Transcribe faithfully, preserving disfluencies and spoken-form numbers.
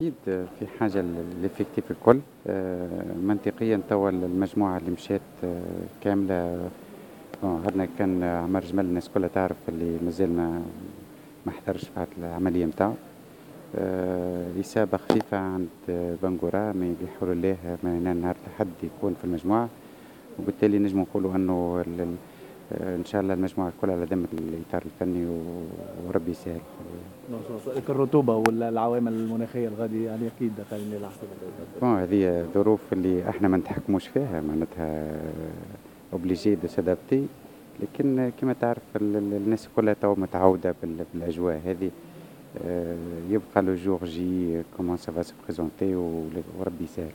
اكيد في حاجة l'effectif الكل. آه، منطقيا توا المجموعة اللي مشات آه، كامله. عندنا كان عمر جمل، الناس كلها تعرف اللي مازال ما ما حضرش بعد العملية نتاعو. آه، إصابة خفيفة عند بانغورا، mais بحول الله من نهار الأحد يكون في المجموعة، وبالتالي نجم نقولوا أنه ان شاء الله المجموعة الكل على ذمه الاطار الفني وربي يسهل. الرطوبة ولا العوامل المناخية الغادي يعني اكيد دخلني على حسب. bon، هذه ظروف اللي احنا ما نتحكموش فيها، معناتها obligé de s'adapter، لكن كما تعرف الناس كلها تو متعوده بالاجواء هذه. آه، يبقى le jour J comment ça va se présenter وربي يسهل.